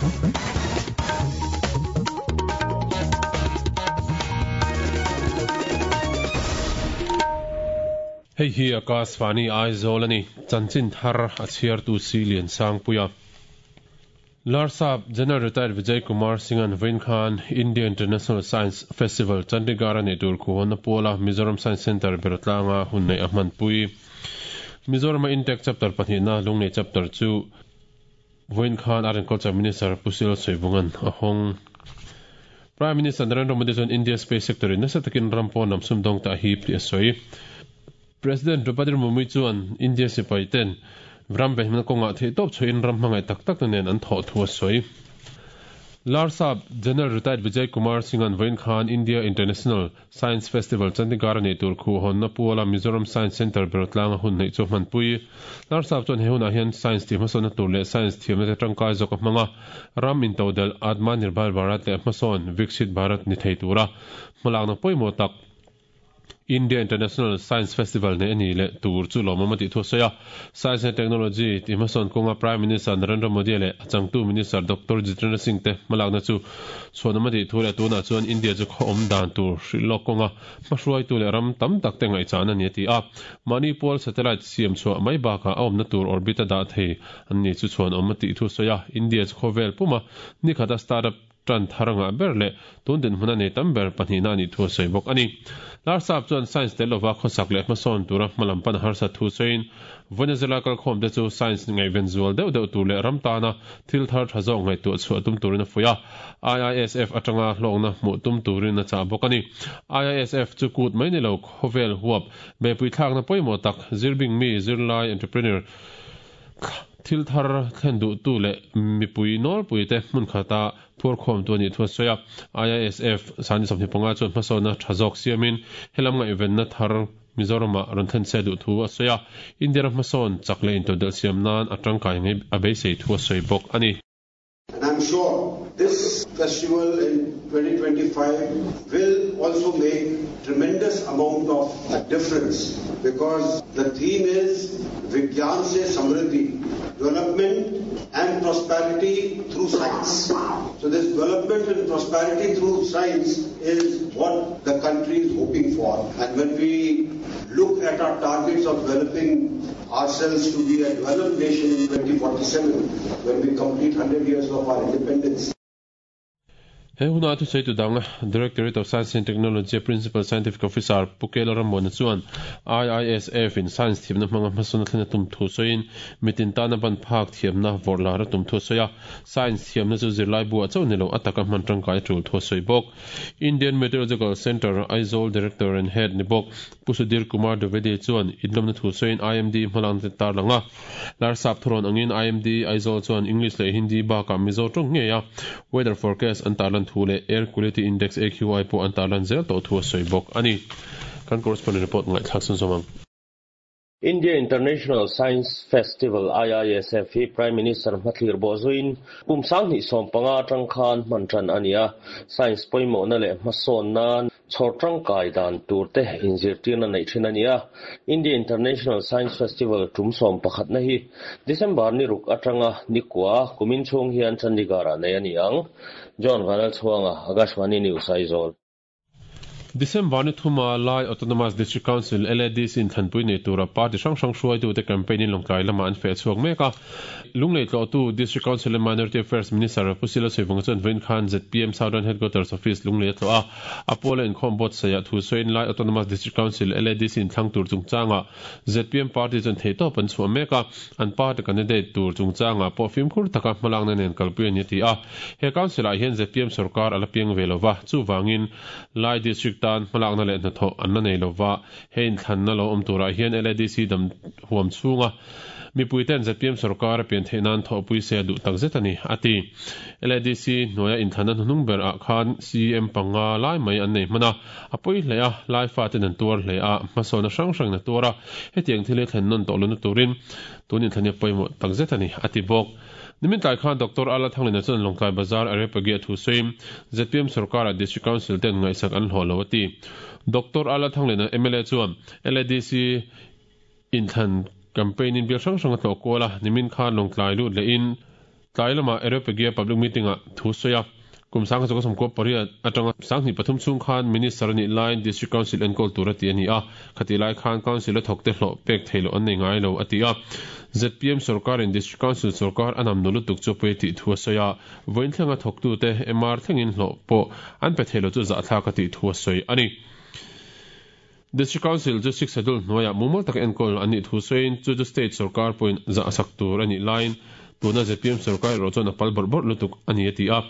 Hei hi Akashvani Aizawl a ni. Chanchin thar a chhiartu si Liansangpuia. Larsap General Retired Vijay Kumar Singh-a'n vawiin khan India International Science Festival Chandigarh-a neih tur khuhhawnna puala Mizoram Science Centre Beratlanga hun neih a hmanpui. Mizorama Intake Chapter pahnihna Lunglei Chapter chu vawiin khan Art and Culture Minister Pu Sil Sawivunga'n a hawng. Prime Minister Narendra Modi chuan India Space Sector-in nasa takin ram pawn lam sumdawng te a hip tih a sawi. President Draupadi Murmu chuan India sipai ten ram venhimna kawngah theihtawp chhuahin ram hmangaih tak tak te nen an thawh thu a sawi. Larsap General Retired Vijay Kumar Singh-a'n vawiin khan India International Science Festival Chandigarh a neih tur khuhhawnna puala Mizoram Science Centre Berawtlanga hun neih chu a hmanpui. Larsap chuan he hunah hian Science tih hmasawnna tur leh Science thiamna te tangkai zawk a hmang a, ram intodelh Atmanirbhar Bharat leh hmasawn Viksit Bharat ni thei tura hmalakna pawimawh tak India International Science Festival neih a ni leh tur chu lawmawm a tih thu a sawi a. Science and Technology tih hmasawn kawnga Prime Minister Narendra Modi leh a changtu Minister Doctor Jitendra Singh te hmalakna chu chhuanawm a tih thu leh tunah chuan India chu khaw awm dan tur hrilh lawk kawnga hmahruaitu leh ram tam tak te ngaihchahna a ni a ti a. Mahni pual satellite siam chhuah mai bakah a awmna tur orbit a dah thei an ni chu chhuanawm a tih thu a sawi a. India chu khawvel puma nikhata startup tan thar ngah ber leh tun dinhmun a nei tam ber pahnihna a nih thu a sawi bawk a ni. Larsap chuan science tel lova khawsak leh hmasawn tura hmalam pan a harsat thu sawiin Venezuela kalkhawmte chu science ngaihven zual deuh deuh tur leh ram tana thil thar tha zawk ngaihtuah chhuah tum turin a fuih a, IISF atanga hlawkna hmuh tum turin a chah bawk a ni. IISF chu kut mai ni lo khawvel huap beihpui thlakna pawimawh tak zirbing mi zirlai entrepreneur Thil thar thlen duhtu leh mipui nawlpuite hmun khata phuarkhawmtu a nih thu a sawi a. IISF Sani 25 chuan hmasawnna tha zawk siamin helam ngaihvenna thar Mizoramah rawn thlen se duh thu a sawi a. India ram hmasawn chak leh intodelh siam nan a tangkai ngei a beisei thu a sawi bawk a ni. And I'm sure this festival in 2025 will also make tremendous amount of a difference because the theme is Vigyan Se Samriddhi, development and prosperity through science. So this development and prosperity through science is what the country is hoping for. And when we look at our targets of developing ourselves to be a developed nation in 2047 when we complete 100 years of our independence. He huna thusawitu dang Directorate of Science and Technology Principal Scientific Officer Pu Kela Rammuana chuan IISF in Science thiamna hmanga hmasawn a thlen a tum thu sawiin mitin tana ban phak thiamna vawrh lar a tum thu a sawi a. Science thiamna chu zirlai buah chauh ni lo a taka hman tangkai a tul thu a sawi bawk. Indian Meteorological Centre, Aizawl Director and Head ni bawk Pu Sudhir Kumar Dwivedi chuan inlawmna thu sawiin IMD hmalakna te tarlang a. Larsap thurawn angin IMD Aizawl chuan English leh Hindi bakah Mizo tawng ngei a weather forecast an tarlan thu leh Air Quality Index, AQI, pawh an tarlan zel tawh thu a sawi bawk a ni. Kan correspondent report ngaihthlak chhunzawm ang. India International Science Festival, IISF, hi Prime Minister hmathlir bawh zuiin kum 2015 atang khan hman tan a ni a, science pawimawhna leh hmasawnna chhawr tangkai dan tur te inzirtirna neih thin a ni a. India International Science Festival tum 11na hi December ni ruk atanga ni kua kumin chhung hian Chandigarh-ah nei a ni ang. John Vanlalchhuanga, Akashvani News, Aizawl. December ni thuma Lai Autonomous District Council, LADC, in thlanpui nei tura party hrang hrang hruaitute campaign in Lawngtlai lamah an feh chhuak mek a. Lunglei tlawhtu District Council and Minority Affairs Minister Pu Sila Saivunga chuan vawiin khan zpm Southern Headquarters Office Lunglei a tlawh a. A puala inkhawm buatsaihah thu sawiin Lai Autonomous District Council, LADC, in thlang tur chungchangah zpm party chuan theihtawp an chhuah mek a, an party candidate tur chungchangah pawh fimkhur taka hmalakna nen kalpui a ni a ti a. He Council ah hian zpm sorkar a la piang ve lova, chuvangin Lai District tan hmalakna leh hnathawh an la nei lova, he inthlanna lo awm turah hian LADC dam huam chhunga mipuiten zpm sorkar a pian theih nan thawhpui se a duh takzet a ni, a ti. LADC hnuaia inthlanna hnuhnung ber ah khan CM panga lai mai an nei hman a, a pawi hle a, Lai faten an tuar hle a, hmasawnna hrang hrangin a tuar a, hetiang thil hi thlen nawn tawh lohna turin tun inthlan hi a pawimawh takzet a ni, a ti bawk. Nimin tlai khan Doctor Ala Thanglina chuan Lawngtlai Bazar Areopagi a thu sawiin zpm sorkarah District Council ten ngaihsak an hlawh lo a ti. Doctor Ala Thanglina mla chuan LADC inthlan campaign in bial hrang hrang a tlawh kual a, nimin khan Lawngtlai lut lehin Tlai lamah Areopagia Public Meeting-ah thu a sawi a. Kum 1998 atanga 2003 chhung khan Minister a nih laiin District Council enkawl tur a ti a ni a, khatih lai khan Council a thawkte hlawh pek theih loh an nei ngai lo a ti a. Zpm sorkarin District Council sorkar a namnu lutuk chu pawi a tih thu a sawi a, vawiin thlenga thawktute MR thlengin hlawh pawh an pe thei lo chu zahthlak a tih thu a sawi a ni. District Council chu Sixth Schedule hnuaiah mumal taka enkawl an nih thu sawiin chu chu State sorkar pawhin zah sak tur a nih laiin tuna zpm sorkar erawh chuan a pal bawrh bawrh lutuk a ni a ti a.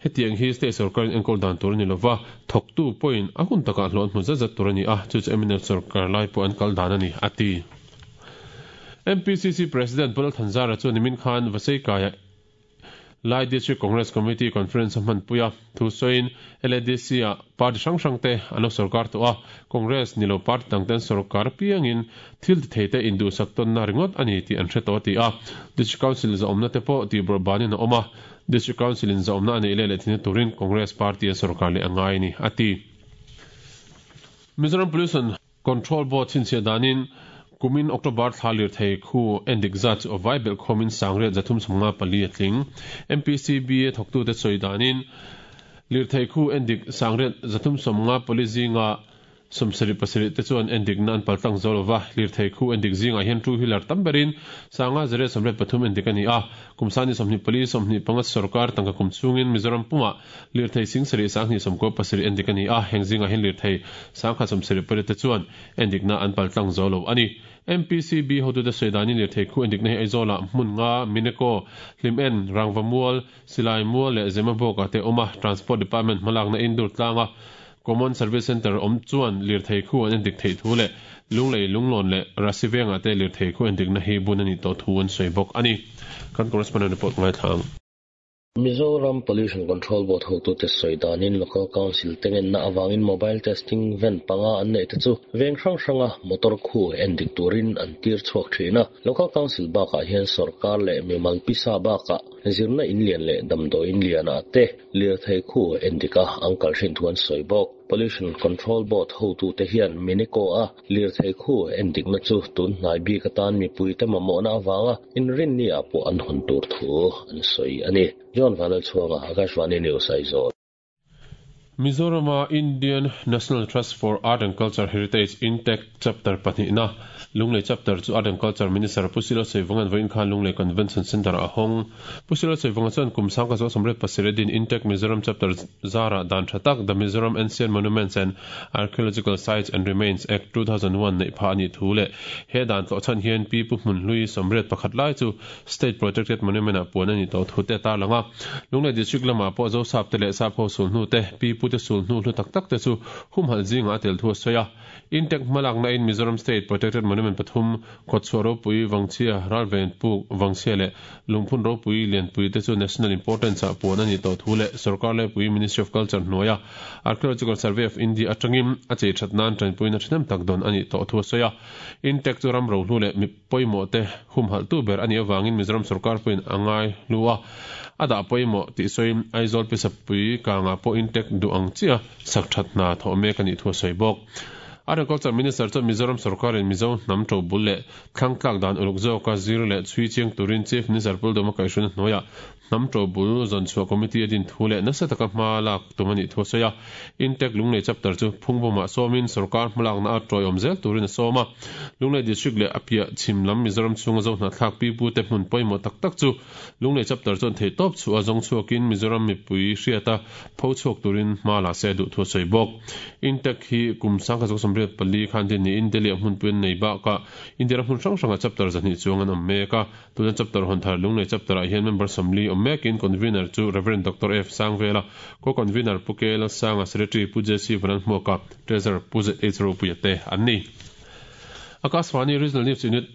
Hetiang hi State sorkarin enkawl dan tur a ni lova, thawktu pawhin a hun takah hlawh an hmu zat zat tur a ni a, chu chu mnf sorkar lai pawh an kal dan a ni a ti. MPCC President Pu Lalthanzara chuan nimin khan Vaseikaiah Lai District Congress Committee Conference a hmanpui a, thu sawiin LADC-ah party hrang hrangte an lo sorkar tawh a, Congress ni lo party dangte an sorkar apiangin thil ti theite induhsak tawnna ringawt a ni tih an hre tawh a ti a. District Council zahawmna te pawh tihbawrh banin a awm a, District Council-in zahawmna a neih leh leh thinna turin Congress party an sorkar leh a ngai a ni, a ti. Mizoram Pollution Control Board chhinchhiah danin kumin October thla lirthei khu endik zat chu a vai belh khawmin 354 a tling. MPCB-a thawktute sawi danin lirthei khu endik 354 zinga 77 te chuan endikna an paltlang zo lova, lirthei khu endik zingah hian two wheeler tam berin 583 endik a ni a. Kum sani 24 25 sorkar tangka kum chhungin Mizoram pumah Lirthei singsarih sanghnih sawmkaw pasarih endik a ni a, heng zingah hian lirthei sangkhat sawmsarih pariat te chuan endikna an paltlang zo lo a ni. MPCB hotute sawi danin lirthei khu endikna hi Aizawlah hmun nga, Mineko, Hlimen, Rangva Mual, Silai Mual leh Zemabawk-ah te a awm a, Transport Department hmalakna Indur tlanga Common Service Centre awm chuan lirthei khu an endik theih thu leh Lunglei, Lunglawn leh Rasi vengah te lirthei khu endikna hi bun a nih tawh thu an sawi bawk a ni. Kan correspondent report ngaithla ang. Mizoram Pollution Control Board hotute sawi danin Local Council te ngenna avangin Mobile Testing Van panga an neih te chu veng hrang hranga motor khu en dik turin an tir chhuak thin a. Local Council bakah hian sorkar leh mimal pisa bakah zirna in lian leh damdawi in lianah te lirthei khu en dik a an kal thin thu an sawi bawk. Pollution Control Board hotute hian Mineko a Lirthei khu en dikna chu tun hnai bik atan mipuite mamawhna avanga inrinni ah pawh an hawn tur thu an sawi a ni. John Vanlalchhuanga, Akashvani News, Aizawl. Mizorama Indian National Trust for Art and Culture Heritage, INTACH, Chapter pahnihna, Lunglei Chapter chu Art and Culture Minister Pu Silo Saivunga'n vawiin khan Lunglei Convention Centre-ah a hawng. Pu Silo Saivunga chuan kum sangka zawh 37 din INTACH Mizoram Chapter zarah dan tha tak The Mizoram Ancient Monuments and Archaeological Sites and Remains Act, 2001 neih phah a nih thu leh he dan tlawh chhan hian Pi Pu Hmunhlui 81 lai chu State Protected Monument ah puan a nih tawh thu te a tarlang a. Lunglei District lamah pawh Zosap te leh Sapho sulhnu te, Pi Pu te sulhnu hlu tak tak te chu humhalh zingah a tel thu a sawi a. Intek hmalakna in Mizoram State Protected Monument pathum, Kawtchhuah ropui, Vangchhia, Ralven Puk, Vangchhia leh Lungphun ropui lianpui te chu National Importance ah puan a nih tawh thu leh Sorkar Laipui Ministry of Culture hnuaia Archaeological Survey of India atangin a chei that nan tanpuina thahnem tak dawn a nih tawh thu a sawi a. Intek chu ram rohlu leh mi pawimawh te humhalh tu ber a nih avangin Mizoram sorkar pawhin a ngai hlu a, a dah pawimawh tih sawiin Aizawl Pisapui kangah pawh Intek duh ang chiah sak that hna thawh mek a nih thu a sawi bawk. Agriculture Minister chuan Mizoram sorkarin Mizo hnam to bul leh Thlang tlak dan uluk zawka zir leh chhui chiang turin Chief Minister Puldawma kaihhruina hnuaiah hnam to bul zawn chhuah committee a din thu leh nasa taka hma lak tum a nih thu a sawi a. Intek Lunglei chapter chu Phungbawmah sawmin sorkar hmalakna a tawiawm zel turin a sawm a. Lunglei District leh a piah chhim lam Mizoram chhunga Zohnahthlak pipute hmun pawimawh tak tak chu Lunglei chapter chuan theihtawp chhuah a zawng chhuakin Mizoram mipui hriata pho chhuak turin hma la se duh thu a sawi bawk. Intek hi kum 1984 khan din niin Delhi-ah hmunpui an nei bakah India ram hmun hrang hrangah chapter 200 chuang an awm mek a. Tuna chapter hawn thar Lunglei chapter-ah hian member 40 awm mekin convener chu Rev. Doctor F. Sangvela, co-convener Pu K. Lalsanga, Secretary Pu JC Vanlalhmuaka, Treasurer Pu ZH Ropuia te an ni. Akashvani Regional News Unit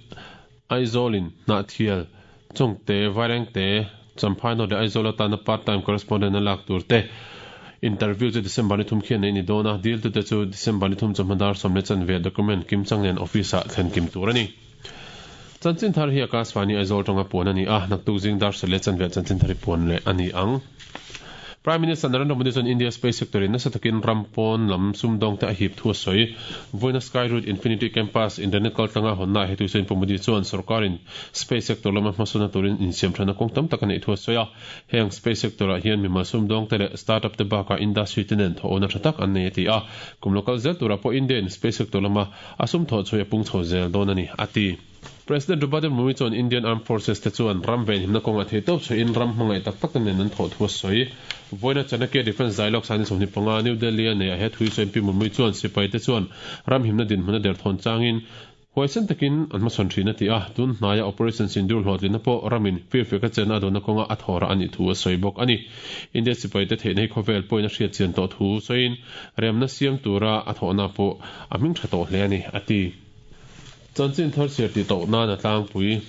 Aizawl-in Hnahthial, Chawngte, Vairengte, Champhai North leh Aizawl atana part time correspondent a lak tur te interview chu December ni thum khian neih a ni dawn a, diltute chu December ni thum chawhma dar sawm leh chanve document kimchang nen office ah thlen kim tur a ni. Chanchin thar hi Akashvani Aizawl tanga puan a ni a, naktuk zing dar sawm leh chanve chanchin thar hi puan leh a ni ang. Prime Minister Narendra Modi chuan India space sector in nasa takin ram pawn lam sumdawng te a hip thu a sawi. Vawiina Skyroot Infinity Campus internet kaltlanga hawnna ah he tuisawiin Pu Modi chuan sorkarin space sector lama hmasawnna turin insiamthatna kawng tam tak a neih thu a sawi a. Heng space sector ah hian mimal sumdawng te leh startup te bakah industry te nen thawhawna tha tak an nei a ti a. Kum lo kal zel turah pawh India in space sector lama a sum thawh chhuai a pung chho zel dawn a ni, a ti. President Draupadi Murmu chuan Indian Armed Forces te chuan ram venhimna kawngah theihtawp chhuahin ram hmangaih tak tak te nen an thawh thu a sawi. Vawiina Chanakya Defence Dialogue Sani 25, New Delhi a neih ah he thu hi sawiin Pi Murmu chuan sipai te chuan ram himna dinhmun a derthawn changin huaisen takin an hmachhawn thin a ti a, tun hnaia Operation Sindoor hlawhtlinna pawh ramin firfiak a chenna a duhna kawnga a thawhrah a nih thu a sawi bawk a ni. India sipai te theihna hi khawvel pawhin a hriat chian tawh thu sawiin remna siam tura a thawhna pawh a hming tha tawh hle a ni, a ti. Chanchin thar chhiar tih tawh nan a tlangpui.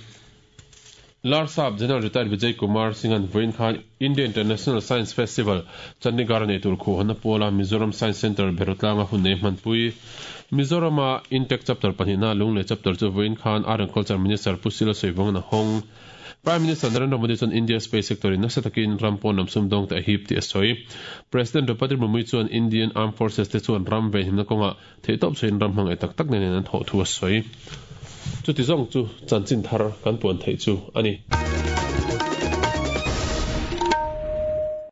Larsap General Retired Vijay Kumar Singh-a'n vawiin khan India International Science Festival, Chandigarh-a nei tur khuhhawnna puala Mizoram Science Centre Berotlanga hun nei hmanpui. Mizorama Intech Chapter pahnihna Lunglei Chapter chu vawiin khan Art and Culture Minister Pu Sila Sawivawnga'n a hawng. Prime Minister Narendra Modi chuan India space sector in nasa takin ram pawn lam sumdawng te a hip tih a sawi. President Draupadi Murmu chuan Indian Armed Forces te chuan ram venhimna kawngah Theihtawp chhuahin ram hmangaih tak tak nen an thawh thu a sawi. Chuti zawng chu chanchin thar kan puan theih chu a ni.